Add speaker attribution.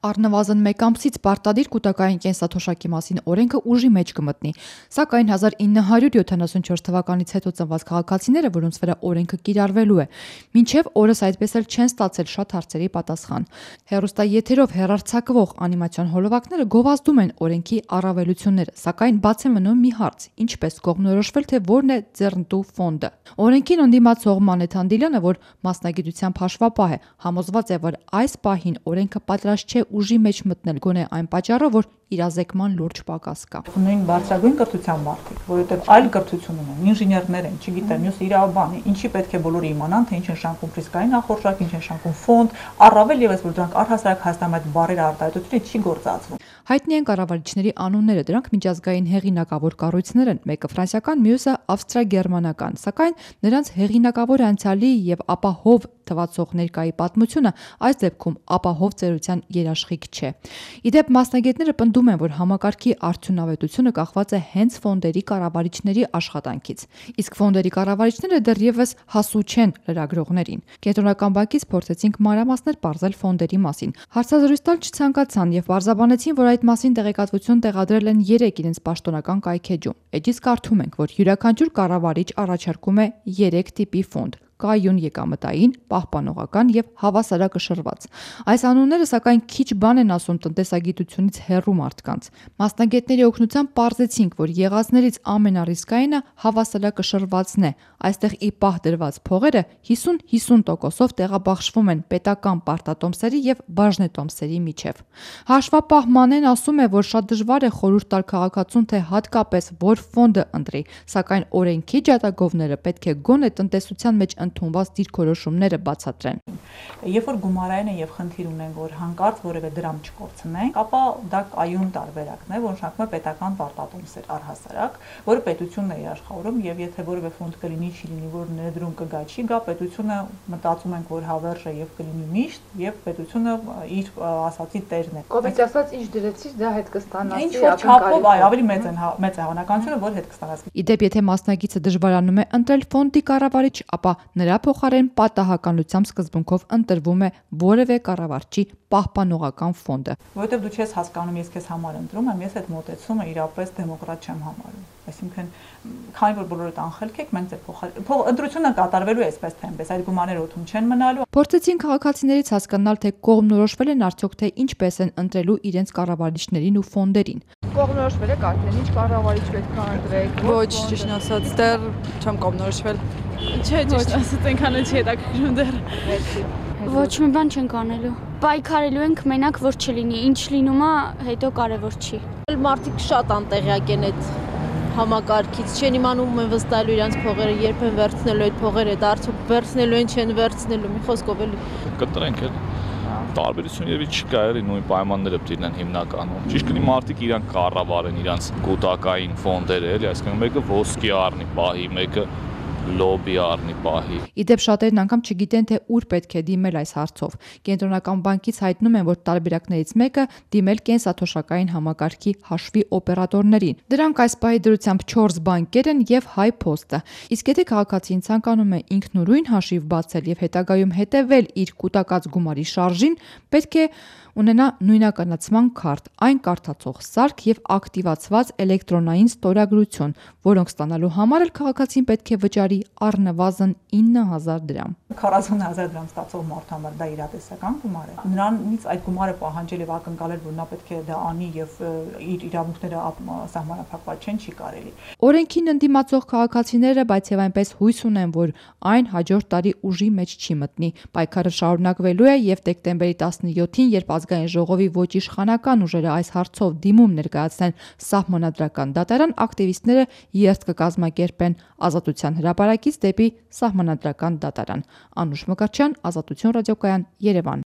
Speaker 1: Առնվազն մեկ ամսից պարտադիր կուտակային կենսաթոշակի մասին օրենքը ուժի մեջ կմտնի, սակայն 1974 թվականից հետո ծնված քաղաքացիները, որոնց վրա օրենքը կիրառվելու է, մինչև օրս այդպես էլ չեն ստացել շատ հարցերի պատասխան։ Հեռուստաեթերով հեռարձակվող անիմացիոն հոլովակները գովազդում են օրենքի առավելությունները, սակայն բաց է մնում մի հարց՝ ինչպես կողմնորոշվել, թե որն է ձեռնտու ֆոնդը։ Օրենքին ընդդիմացող Մանե Թանդիլյանը, որ մասնագիտությամբ հաշվապահ է, համոզված է, որ այս պահին օրենքը պատրաստ չէ ուժի մեջ մտնել գոնե այն պատճառով, որ իրազեկման լուրջ պակաս կա։
Speaker 2: Նույն բարձրագույն կրթության մարդիկ, որովհետև այլ կրթություն ունեն, ինժեներներ են, չգիտեմ, մյուս իրավաբան է, ինչի պետք է բոլորը իմանան, թե ինչ են շարքում ռիսկային նախորժակ, ինչ են շարքում ֆոնդ, առավել եւս որ դրանք առհասարակ Հայաստանում այդ բարերը արտահայտությունը չի գործածվում։
Speaker 1: Հայտնի են կառավարիչների անունները, դրանք միջազգային հեղինակավոր կառույցներ են, մեկը ֆրանսիական, մյուսը ավստրիա-գերմանական, սակայն նրանց հեղինակավոր անցյալի եւ ապահով թվացող ներկայի պատմությունը այս դեպքում ապահով ծերության երաշխիք չէ։ Իդեպ մասնագետները պնդում են, որ համակարգի արդյունավետությունը կախված է հենց ֆոնդերի կառավարիչների աշխատանքից, իսկ ֆոնդերի կառավարիչները դեռևս հասու չեն լրագրողներին։ Կենտրոնական բանկից փորձեցինք մանրամասներ պարզել ֆոնդերի մասին։ Հարցազրույց տալ չցանկացան եւ պարզաբանեցին, որ այդ մասին տեղեկատվություն տեղադրել են 3 իրենց պաշտոնական կայքեջում։ Էջից կարդում ենք, որ յուրաքանչյուր կառավարիչ առաջարկում է 3 տիպի ֆոնդ՝ կայուն եկամտային, պահպանողական եւ հավասարակշռված։ Այս անունները սակայն քիչ բան են ասում տնտեսագիտությունից հեռու մարդկանց։ Մասնագետների օգնությամբ պարզեցինք, որ եղածներից ամենառիսկայինը հավասարակշռվածն է։ Այստեղ ի պահ դրված փողերը 50-50%-ով տեղաբաշխվում են պետական պարտատոմսերի եւ բաժնետոմսերի միջև։ Հաշվապահ Մանեն ասում է, որ շատ դժվար է խորհուրդ տալ քաղաքացուն, թե հատկապես որ ֆոնդը ընտրի, սակայն օրենքի ջատագովները պետք է գոնե տնտեսության մեջ ընդունված դիրքորոշումները բացատրեն։
Speaker 2: Երբ որ գումարային են եւ խնդիր ունեն, որ հանկարծ որևէ դրամ չկորցնենք, ապա դա կայուն տարբերակն է, որ նշանակում է պետական պարտատոմսեր առհասարակ, որը պետությունն է իշխավորում եւ եթե որևէ ֆոնդ կլինի, չի լինի, որ ներդրում կգա, չի գա, պետությունը մտածում ենք, որ հավերժ է եւ կլինի միշտ եւ պետությունը իր ասացի տերն է։
Speaker 3: Կովիդ ասած ինչ դրեցից դա հետ կստանաս։
Speaker 2: Ինչ որ չափով ավելի մեծ է հավանականությունը, որ հետ կստանաս։
Speaker 1: Իդեպ, եթե մասնագիծը դժվարանում է ընտրել ֆոնդի կառավարիչ, ապա նրա փոխարեն պատահականությամբ սկզբունքով ընտրվում է որևէ կառավարչի պահպանողական ֆոնդը։
Speaker 2: Որովհետև դու չես հասկանում, ես քեզ համար ընտրում եմ, ես այդ մոտեցումը իրապես դեմոկրատ չեմ համարում։ Այսինքն, քանի որ բոլորդ անխելք եք, մենք ձեր ընտրությունը կատարվելու է այսպես թե այնպես, այդ գումարները օդում չեն մնալու։
Speaker 1: Փորձեցին քաղաքացիներից հասկանալ, թե կողմնորոշվել են արդյոք, թե ինչպես են ընտրելու իրենց կառավարիչներին ու ֆոնդերին։
Speaker 3: Կողմնորոշվել եք արդեն, ինչ կառավարիչ պետք է ընտրեք։
Speaker 4: Ոչ, ճիշտ ասած, դեռ չեմ կողմնորոշվել։
Speaker 5: Չէ, ճիշտ ասած, այնքան չի հետաքրքրում դեռ։
Speaker 6: Ոչ մի բան չենք անելու։ Պայքարելու ենք մենակ, որ չլինի, ինչ լինում է, հետո կարևոր չի։
Speaker 7: Մարդիկ շատ անտեղյակ են այդ համակարգից, չեն իմանում են վստահելու իրենց փողերը, երբ են վերցնելու այդ փողերը, արդյոք վերցնելու են, չեն վերցնելու, մի խոսքով էլի։
Speaker 8: Կտրենք էլ տարբերություն եւի չկա, էլի նույն պայմանները պետք լինեն հիմնականում։ Ճիշտ կլինի մարդիկ իրանք կառավարեն իրանք կուտակային ֆոնդերը, էլի, այսինքն մեկը ոսկի առնի պահի, մեկը լոբի առնի պահի։
Speaker 1: Իդեպ շատերն անգամ չգիտեն, թե ուր պետք է դիմել այս հարցով։ Կենտրոնական բանկից հայտնում են, որ տարբերակներից մեկը դիմել կենսաթոշակային համակարգի հաշվի օպերատորներին։ Դրանք այս պահի դրությամբ 4 բանկեր են եւ Հայ Փոստը։ Իսկ եթե քաղաքացին ցանկանում է ինքնուրույն հաշիվ բացել եւ հետագայում հետեւել իր կուտակած գումարի շարժին, պետք է ունենա նույնականացման քարտ, այն կարդացող սարք եւ ակտիվացված էլեկտրոնային ստորագրություն, որոնք ստանալու համար էլ քաղաքացին պետք է վճարի առնվազն 9000 դրամ։
Speaker 2: 40000 դրամ ստացող մարդու համար դա իրատեսական գումար է։ Նրանից այդ գումարը պահանջել եւ ակնկալել, որ նա պետք է դա անի եւ իր իրավունքները սահմանափակված չեն, չի կարելի։
Speaker 1: Օրենքին ընդդիմացող քաղաքացիները, բայց եւ այնպես հույս ունեն, որ այն հաջորդ տարի ուժի մեջ չի մտնի։ Պայքարը շարունակվելու է եւ դեկտեմբերի 17-ին, երբ Ազգային ժողովի ոչ իշխանական ուժերը այս հարցով դիմում ներկայացնեն սահմանադրական դատարան, ակտիվիստները երթ կկազմակերպեն Ազատության հրապարակից դեպի սահմանադրական դատարան։ Անուշ Մկրտչյան, Ազատություն ռադիոկայան, Երևան։